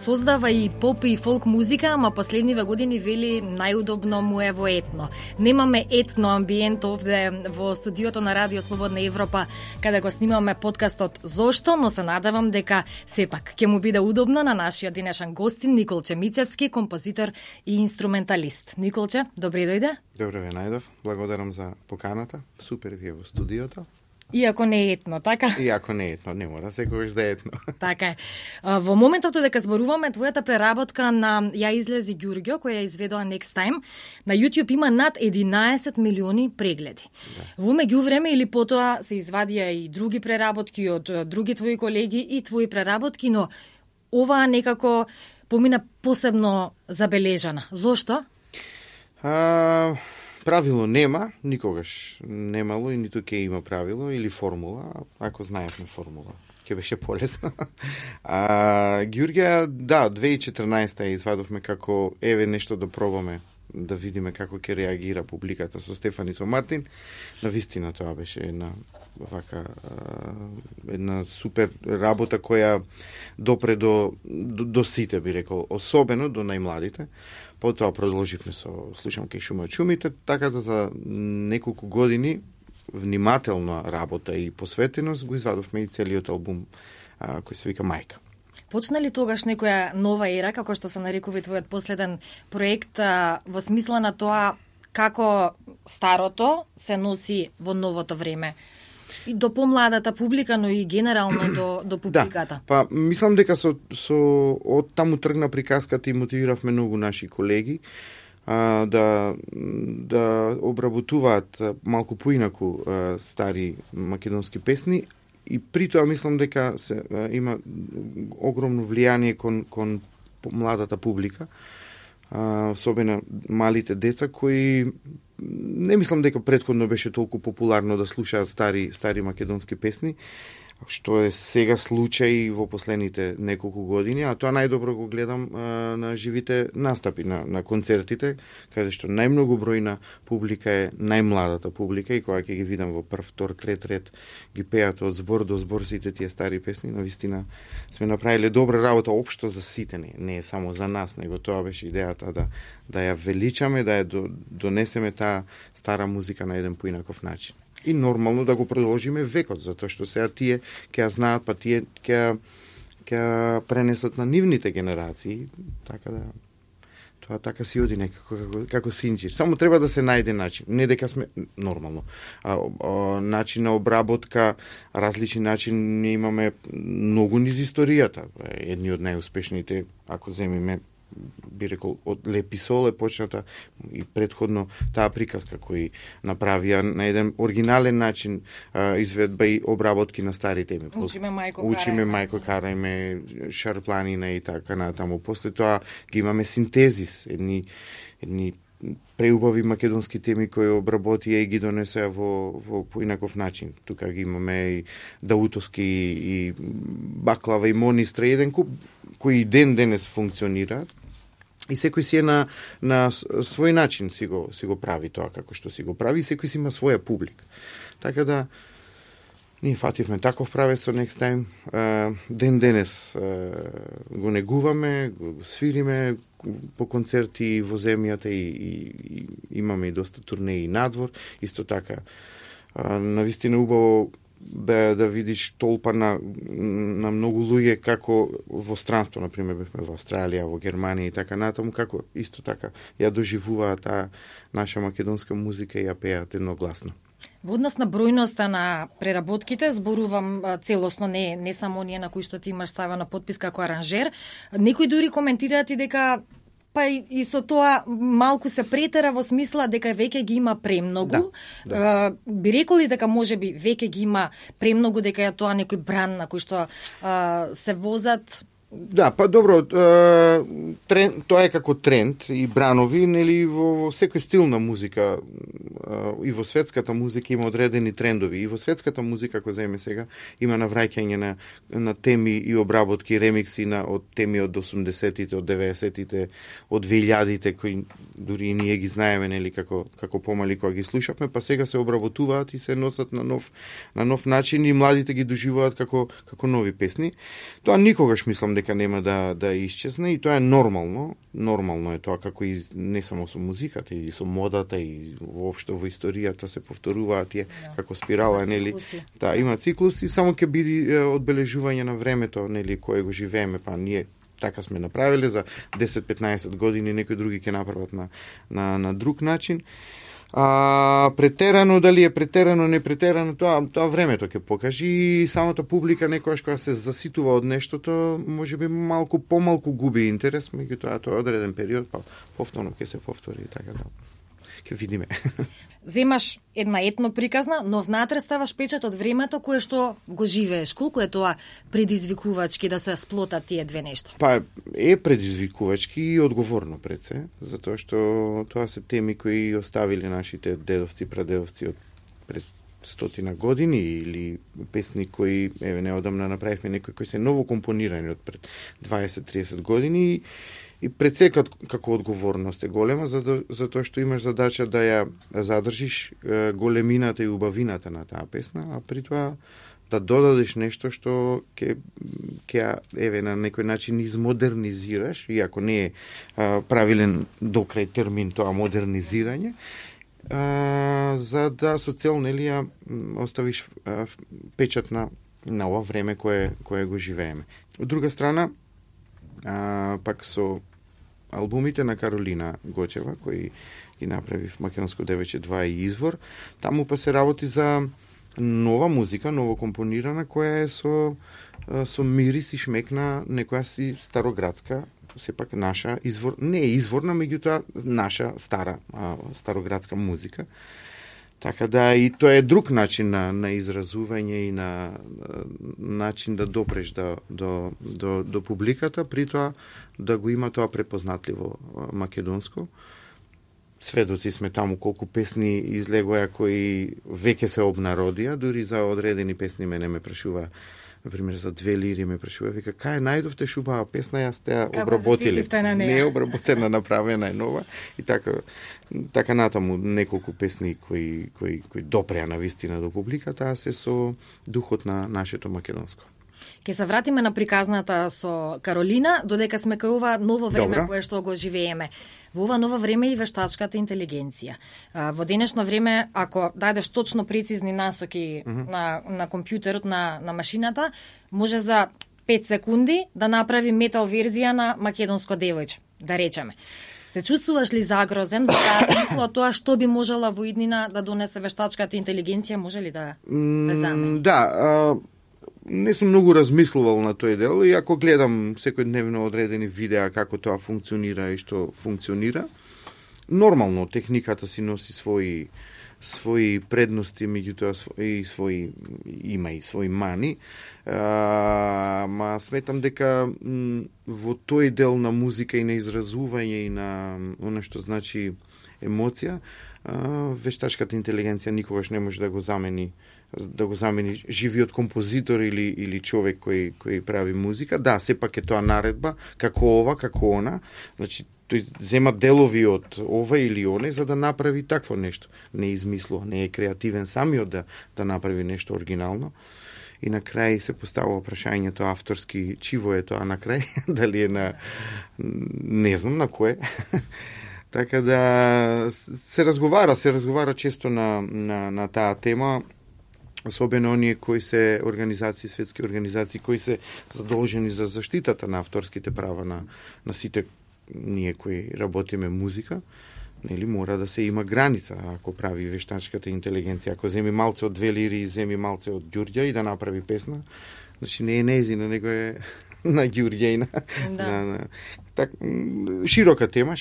создава и поп и фолк музика, ама последниве години вели најудобно му е во етно. Немаме етно амбиент овде во студиото на Радио Слободна Европа, каде го снимаме подкастот Зошто, но се надевам дека сепак ќе му биде удобно на нашиот денешен гостин Николче Мицевски, композитор и инструменталист. Николче, добре дојде. Добре ве најдов. Благодарам за поканата. Супер ви е во студиото. Иако не е етно, така? Иако не е етно, не мора секогаш да е етно. Така е. Во моментот дека зборуваме, твојата преработка на Ја излези Ѓурѓо, која ја изведоа Next Time, на YouTube има над 11 милиони прегледи. Да. Во меѓувреме или потоа се извадија и други преработки од други твои колеги и твои преработки, но оваа некако помина посебно забележана. Зошто? Правило нема, никогаш немало и ниту ќе има правило или формула, ако знаевме формула, ќе беше полесно. Ѓурѓа, да, 2014 ја извадовме како еве нешто да пробаме, да видиме како ќе реагира публиката со Стефан и со Мартин. Навистина тоа беше една супер работа која допре до сите, би рекол, особено до најмладите. Потоа продолживме со Слушам кај шума од шумите, така да за неколку години внимателна работа и посветеност го извадовме и целиот албум кој се вика Мајка. Почна ли тогаш некоја нова ера, како што се нарекува твојот последен проект, во смисла на тоа како старото се носи во новото време? И до помладата публика, но и генерално до публиката. Да, мислам дека со од таму тргна приказката и мотивиравме многу наши колеги да обработуваат малку поинаку стари македонски песни и при тоа мислам дека има огромно влијание кон младата публика, особено малите деца кои не мислам дека претходно беше толку популарно да слушаат стари македонски песни, што е сега случај во последните неколку години, а тоа најдобро го гледам на живите настапи, на концертите, каде што најмногу бројна публика е најмладата публика и кога ќе ги видам во прв, втор, трет ред ги пеат од збор до збор сите тие стари песни, навистина сме направиле добра работа општо за сите, не е само за нас, него тоа беше идејата да ја величаме, да ја донесеме таа стара музика на еден поинаков начин. И нормално да го продолжиме векот, затоа што сега тие ќе ја знаат, па тие ќе пренесат на нивните генерации, така да тоа така си оди некако како синџир. Само треба да се најде начин, не дека сме нормално. Начин на обработка, различни начин, ние имаме многу низ историјата. Едни од најуспешните, ако земиме, би рекол, од Лепи Сол е почната и предходно таа приказка кој направија на еден оригинален начин изведба и обработки на стари теми. Учиме мајко карајме, Шарпланина и така натаму. После тоа ги имаме синтезис, едни преубави македонски теми кои обработија и ги донесеа во поинаков начин. Тука ги имаме и Даутовски и Баклава и Монистра, еден куп кои ден денес функционираат и секој си е на свој начин си го прави тоа како што си го прави, секој си има своја публика. Така да ние фативме таков правец со Next Time. Ден денес го негуваме, го свириме по концерти во земјата и имаме и доста турнеи надвор. Исто така, навистина убаво да видиш толпа на многу луѓе како во странство, например, бевме во Австралија, во Германија и така натаму, како исто така ја доживуваат таа наша македонска музика и ја пеат едногласно. Во однос на бројноста на преработките, зборувам целосно, не само оние на кои што ти имаш ставена подпис како аранжер, некои дури коментираат и дека па и со тоа малку се претера во смисла дека веќе ги има премногу. Да. Би рекол и дека можеби веќе ги има премногу, дека е тоа некој бран на кој што се возат. Да, па добро, тоа е како тренд и бранови, нели, во секој стил на музика и во светската музика има одредени трендови. И во светската музика, ако земеме сега, има навраќање на теми и обработки, ремикси од теми од 80-тите, од 90-тите, од 2000-тите, кои дури и ние ги знаеме, нели, како помали кога ги слушавме, па сега се обработуваат и се носат на нов начин и младите ги доживуваат како нови песни. Тоа никогаш мислам дека нема да исчезне и тоа е нормално. Нормално е тоа, како и не само со музиката, и со модата, и воопшто во историјата се повторуваат тие како спирала, нели? Да, има циклуси, само ќе биде одбележување на времето, нели, кое го живееме, па ние така сме направиле за 10-15 години, некои други ќе направат на друг начин. Претерано, дали е претерано, не претерано, тоа времето ќе покажи и самата публика некојаш кога се заситува од нештото, можеби малку помалку губи интерес, меѓутоа тоа е одреден период, па повторно ќе се повтори, така да ќе видиме. Земаш една етно приказна, но внатре ставаш печат од времето кое што го живееш. Колку е тоа предизвикувачки да се сплотат тие две нешта? Па е предизвикувачки и одговорно пред се, затоа што тоа се теми кои оставиле нашите дедовци, прадедовци од пред 100 години или песни кои неодамна направивме некои кои се ново компонирани од пред 20-30 години и пред се како одговорност е голема, затоа што имаш задача да ја задржиш големината и убавината на таа песна, а при тоа да додадеш нешто што ќе на некој начин измодернизираш, иако не е правилен до крај термин тоа модернизирање, за да со цел, нели, ја оставиш печат на ова време кое го живееме. Од друга страна, пак со албумите на Каролина Гочева, кои ги направи в Македонско девече 2 и Извор, таму па се работи за нова музика, ново компонирана, која е со мирис и шмек на некоја си староградска, сепак наша не е изворна, меѓутоа наша староградска музика. Така да и тоа е друг начин на изразување и на начин да допреш до публиката, при тоа да го има тоа препознатливо македонско. Сведоци сме таму колку песни излегоја кои веќе се обнародија, дури за одредени песни мене ме прашува, например за 2 лири ме прашува, вика, кај најдовте шубава песна, јас те обработиле. Не е обработена, направена е нова и така натаму неколку песни кои допреа на вистина до публиката, а се со духот на нашето македонско. Ке се вратиме на приказната со Каролина, додека сме кај ова ново време. Добра. Кое што го живееме. Во ова ново време и вештачката интелигенција. Во денешно време, ако дадеш точно прецизни насоки на компјутерот, на машината, може за 5 секунди да направи метал верзија на македонско девојче, да речеме. Се чувствуваш ли загрозен во таа смисла тоа што би можела во иднина да донесе вештачката интелигенција, може ли да замени? Да, не сум многу размислувал на тој дел, и ако гледам секојдневно одредени видеа како тоа функционира и што функционира, нормално техниката си носи свои предности, меѓутоа има и свои мани. Ма сметам дека во тој дел на музика и на изразување и на оно што значи емоција, вештачката интелигенција никогаш не може да го замени живиот композитор или човек кој прави музика. Да, сепак е тоа наредба, како ова, како она. Значи, тој зема делови од ова или оне за да направи такво нешто. Не измислува, не е креативен самиот да направи нешто оригинално. И на крај се поставува прашањето авторски, чиво е тоа на крај, дали е на не знам на кое. Така да се разговара често на таа тема, особено оние кои се организации, светски организации, кои се задолжени за заштитата на авторските права на сите ние кои работиме музика. Нели, мора да се има граница ако прави вештачката интелигенција. Ако земи малце од 2 лири и земи малце од Ѓурѓа и да направи песна, значи не е нејзина, него е на Ѓурѓејна. Да. Широка тема,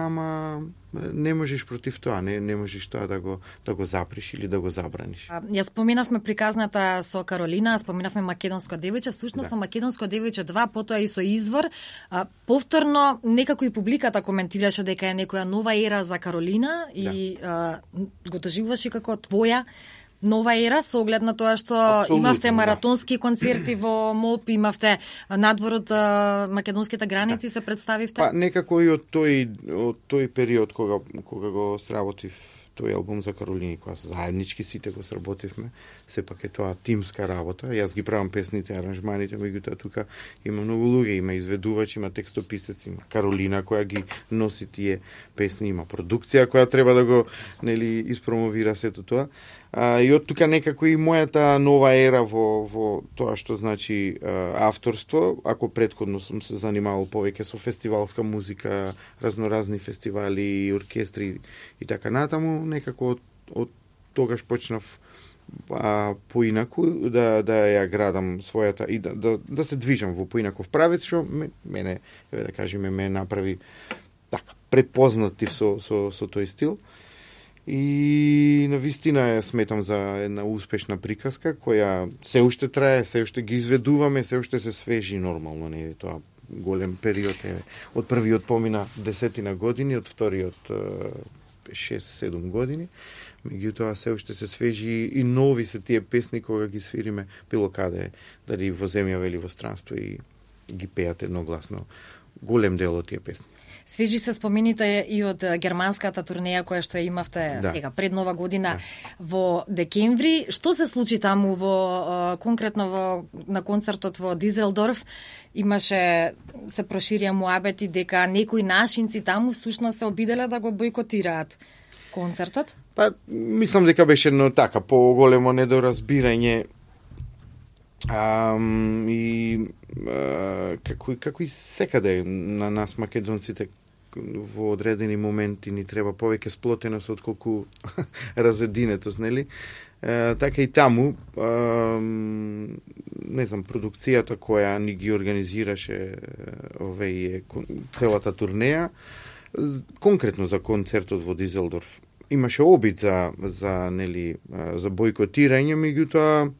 ама не можеш против тоа, не можеш тоа да го запреш или да го забраниш. Ја споменавме приказната со Каролина, споменавме Македонско девојче, всушност со Македонско девојче 2, потоа и со Извор. Повторно некако и публиката коментираше дека е некоја нова ера за Каролина и го доживуваше како твоја нова ера со оглед на тоа што имавте маратонски концерти во МОП, имавте надвор од македонските граници, се представивте? Па некако и од тој период кога го сработив тој албум за Каролини, кога заеднички сите го сработивме, сепак е тоа тимска работа. Јас ги правам песните, аранжманите, меѓутоа тука има многу луѓе, има изведувач, има текстописец, има Каролина која ги носи тие песни, има продукција која треба да го испромовира сето тоа. И од тука некако и мојата нова ера во тоа што значи авторство, ако претходно сум се занимавал повеќе со фестивалска музика, разноразни фестивали, оркестри и така натаму, некако од тогаш почнав поинаку да ја градам својата и да се движам во поинаков правец, што мене, да кажеме, ме направи така препознатив со тој стил. И навистина ја сметам за една успешна приказка која се уште трае, се уште ги изведуваме, се уште се свежи нормално, не е тоа голем период е. Од првиот помина 10 години, од вториот 6-7 години. Меѓутоа се уште се свежи и нови се тие песни кога ги свириме било каде, дали во земјава или во странство и ги пеат едногласно голем дел од тие песни. Свежи се спомените и од германската турнеја која што ја имавте сега пред Нова година во декември. Што се случи таму конкретно на концертот во Дизелдорф? Имаше, се проширија муабети дека некои нашинци таму всушност се обиделе да го бойкотираат концертот? Па, мислам дека беше едно така поголемо недоразбирање како и секаде на нас македонците во одредени моменти ни треба повеќе сплотеност отколку разединетост, нели? Така и таму, не знам, продукцијата која ни ги организираше целата турнеја, конкретно за концертот во Дизелдорф, имаше обид за бойкотирање, меѓутоа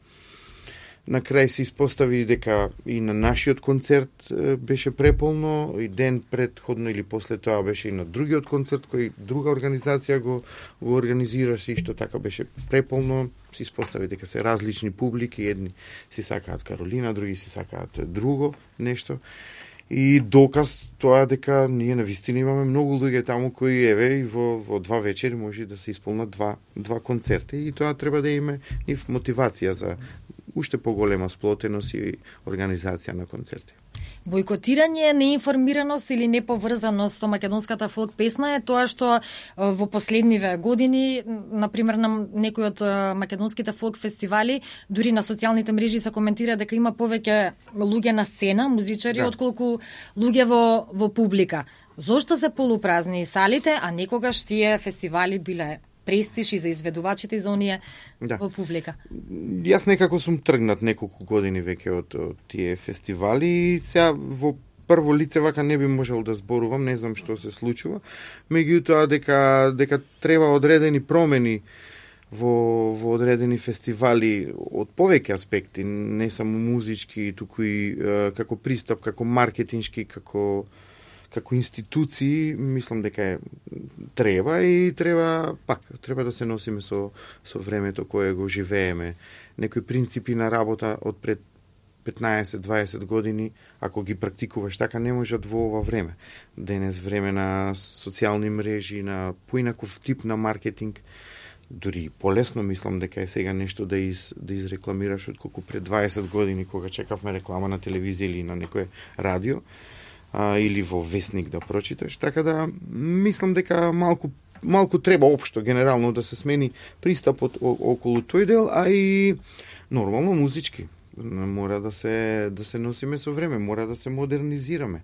на крај се испостави дека и на нашиот концерт беше преполно, и ден предходно или после тоа беше и на другиот концерт кој друга организација го организираше, и што така беше преполно. Се испостави дека се различни публики, едни си сакаат Каролина, други си сакаат друго нешто. И доказ тоа дека ние навистина имаме многу луѓе таму кои и во 2 вечери може да се исполнат два концерти, и тоа треба да има и мотивација за уште поголема сплотеност и организација на концерти. Бойкотирање, неинформираност или неповрзаност со македонската фолк песна е тоа што во последниве години, например на некои од македонските фолк фестивали, дури на социјалните мрежи се коментира дека има повеќе луѓе на сцена, музичари, отколку луѓе во публика. Зошто се полупразни салите, а некогаш тие фестивали биле престиж и за изведувачите и за оние во публика? Јас некако сум тргнат неколку години веќе од тие фестивали, и сега во прво лице вака не би можел да зборувам, не знам што се случува, меѓутоа дека треба одредени промени во одредени фестивали од повеќе аспекти, не само музички, туку и како пристап, како маркетиншки, како институции, мислам дека треба да се носиме со времето кое го живееме. Некои принципи на работа од пред 15-20 години, ако ги практикуваш така, не можат во ова време. Денес време на социјални мрежи, на поинаков тип на маркетинг, дури полесно мислам дека е сега нешто да изрекламираш отколку пред 20 години кога чекавме реклама на телевизија или на некое радио, или во весник да прочиташ. Така да мислам дека малку треба општо генерално да се смени пристапот околу тој дел, а и нормално музички. Мора да се носиме со време, мора да се модернизираме.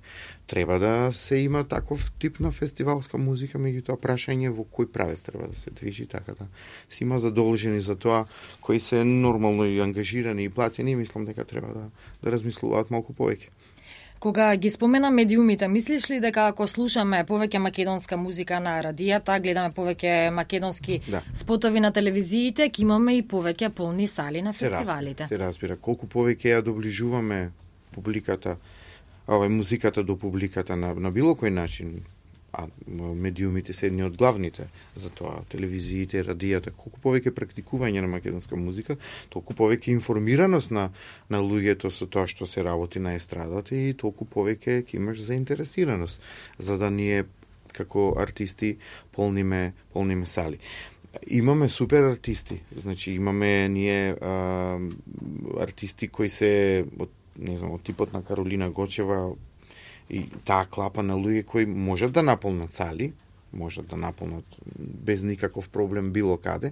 Треба да се има таков тип на фестивалска музика, меѓутоа прашање во кој правец треба да се движи, така да се има задолжени за тоа, кои се нормално и ангажирани и платени, мислам дека треба да размислуваат малку повеќе. Кога ги спомена медиумите, мислиш ли дека ако слушаме повеќе македонска музика на радијата, гледаме повеќе македонски спотови на телевизиите, ќе имаме и повеќе полни сали на фестивалите? Се разбира. Колку повеќе ја доближуваме публиката, музиката до публиката на било кој начин, а медиумите се едни од главните за тоа, телевизиите, радијата, колку повеќе практикување на македонска музика, толку повеќе информираност на луѓето со тоа што се работи на естрадата и толку повеќе ќе имаш заинтересираност за да ние како артисти полниме сали. Имаме супер артисти, значи имаме ние артисти кои се од типот на Каролина Гочева и таа клапа на луѓе кои можат да наполнат сали, можат да наполнат без никаков проблем било каде.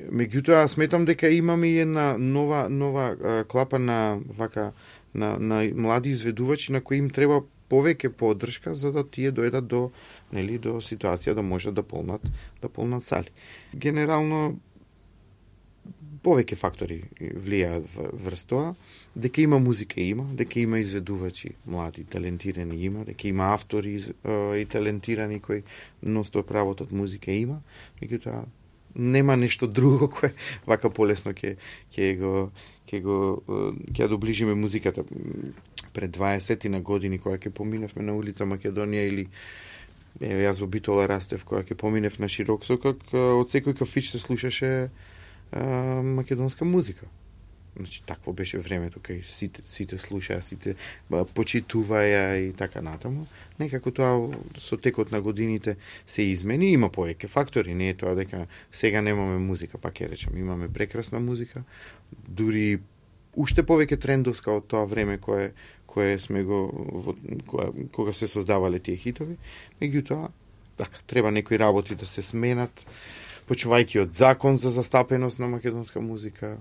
Меѓутоа сметам дека имаме и една нова клапа на млади изведувачи на кои им треба повеќе поддршка за да тие дојдат до ситуација да можат да полнат сали. Генерално повеќе фактори влијаат врз тоа, дека има музика дека има изведувачи млади, талентирани има, дека има автори и талентирани кои ностоп работат музика има, меѓутоа нема нешто друго кое вака полесно ќе доближиме музиката. Пред 20 на години кога ќе поминевме на улица Македонија или јас во Битола растев кога ќе поминев на широк сокак, од секој кафич се слушаше македонска музика. Значи, такво беше времето кај сите слушаа, сите почитуваја и така натаму. Некако тоа со текот на годините се измени, има повеќе фактори, не е тоа дека сега немаме музика, пак ќе речам, имаме прекрасна музика, дури уште повеќе трендовска од тоа време кое сме кога се создавале тие хитови, меѓутоа така треба некои работи да се сменат, почувајќи од закон за застапеност на македонска музика,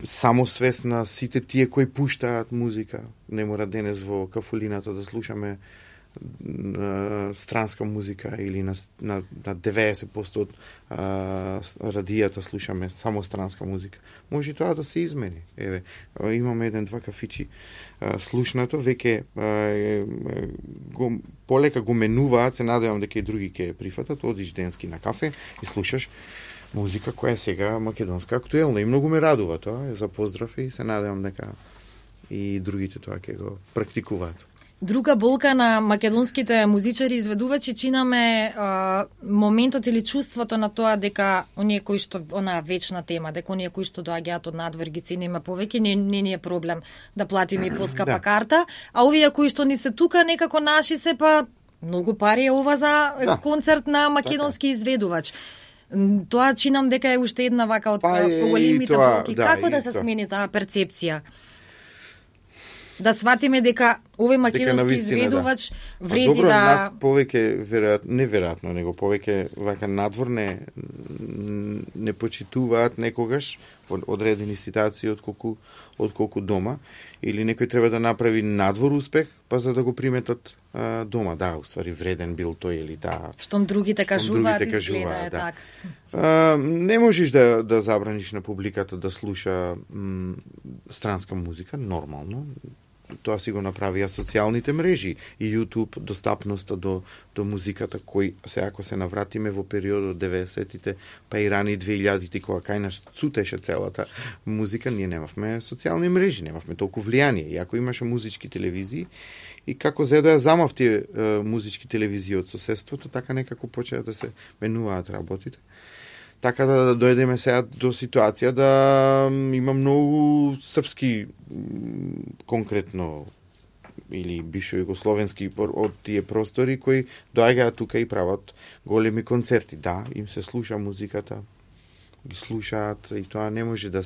самосвест на сите тие кои пуштаат музика. Не мора денес во кафулината да слушаме странска музика или на 90% од радијата слушаме само странска музика. Може тоа да се измени. Еве, имаме 1-2 кафичи слушнато, веќе полека го менуваат, се надевам дека и други ќе прифатат, одиш денски на кафе и слушаш музика која е сега македонска актуелна и многу ме радува тоа, за поздрав и се надевам дека и другите тоа ќе го практикуваат. Друга болка на македонските музичари и изведувачи чинаме моментот или чувството на тоа дека оние кои што онаа вечна тема, дека оние кои што доаѓаат од надвор ги цениме повеќе, не е проблем да платиме и поскапа карта, а овие кои што ни се тука некако наши се па многу пари е ова за концерт на македонски изведувач. Тоа чинам дека е уште една вака од поголемите болки. Како да се смени таа перцепција? Да сватиме дека овој македонски изведувач вреди добро, да... нас повеќе, неверојатно, него повеќе вака надвор не почитуваат некогаш во одредени ситуации отколку дома. Или некој треба да направи надвор успех, па за да го приметат дома. Да, уствари вреден бил тој или да. Штом другите кажуваат, изгледа е така. Не можеш да забраниш на публиката да слуша странска музика, нормално. Тоа си го направија социјалните мрежи и YouTube, достапноста до музиката, кој се ако се навратиме во периодот 90-тите, па и рани 2000-ти, кога кај нас цутеше целата музика, ние немавме социјални мрежи, немавме толку влијание. И ако имаше музички телевизии, и како за да ја замав тие музички телевизии од соседството, така некако почеа да се менуваат работите. Така да дојдеме сега до ситуација да има многу српски конкретно или бившо југословенски од тие простори кои доаѓаат тука и прават големи концерти. Да, им се слуша музиката, ги слушаат и тоа не може да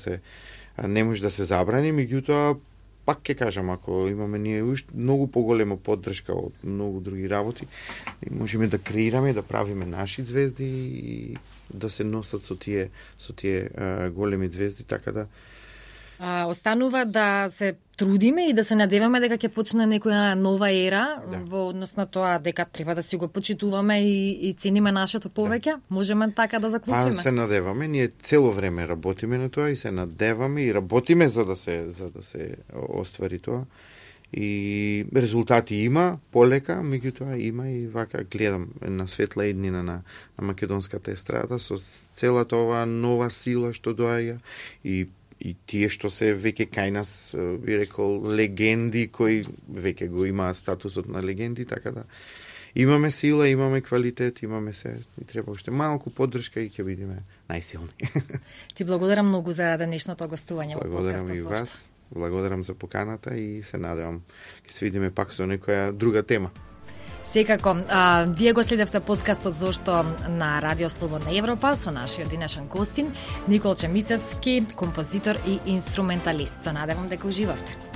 се забрани, меѓутоа пак ќе кажам, ако имаме ние уште многу поголема поддршка од многу други работи, можеме да креираме, да правиме наши звезди и да се носат со тие големи звезди, така да останува да се трудиме и да се надеваме дека ќе почне некоја нова ера во однос на тоа дека треба да си го почитуваме и цениме нашето повеќе. Можеме така да заклучиме. Се надеваме, ние цело време работиме на тоа и се надеваме и работиме за да се оствари тоа. И резултати има, полека, меѓутоа има и вака гледам на светла иднина на македонската естрада со целата оваа нова сила што доаѓа и и тие што се веќе кај нас, би рекол, легенди кои веќе го имаат статусот на легенди, така да имаме сила, имаме квалитет, имаме се, и треба уште малку поддршка и ќе бидеме најсилни. Ти благодарам многу за денешното гостување во подкастот. Благодарам и вас, благодарам за поканата и се надевам ќе се видиме пак со некоја друга тема. Секако, вие го следевте подкастот Зошто на Радио Слободна Европа со нашиот денешен гостин Николче Мицевски, композитор и инструменталист. Се надевам дека уживавте.